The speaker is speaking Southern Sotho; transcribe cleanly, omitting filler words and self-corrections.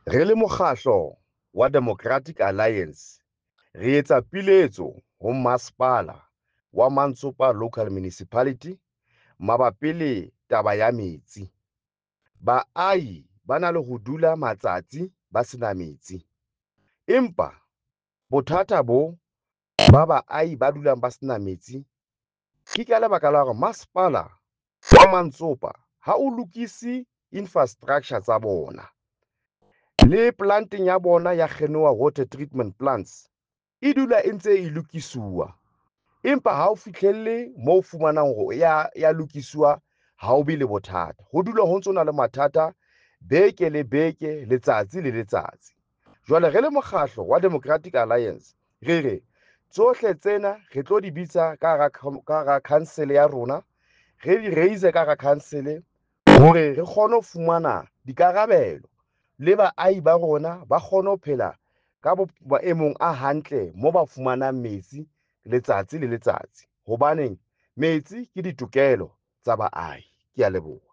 Re le mokgahlo wa Democratic Alliance re etsa piletso ho masepala wa Mantsopa Local Municipality mabapi le taba ya metsi. Baahi ba na le ho dula matsatsi ba sena metsi, empa bothata bo ba baahi ba dulang ba sena metsi ke ka lebaka la hore masepala wa Mantsopa ha o lokise infrastructure tsa bona. Le planteng ya bona ya Genoa Water Treatment Plants e dula e ntse e lokisuwa, empa ha o fihlelle moo o fumanang hore ya lokisiwa, ha o be le bothata. Ho dula ho ntso na le mathata beke le beke, letsatsi le letsatsi. Jwale re le mokgahlo wa Democratic Alliance re re tsohle tsena re tlo di bitsa ka hara council ya rona, re di raise ka hara council hore re kgone ho fumana dikarabelo le baahi ba rona ba kgone ho phela ka maemong a hantle mo ba fumanang metsi letsatsi le letsatsi. Hobaneng metsi ke ditokelo tsa baahi. Ke a leboha.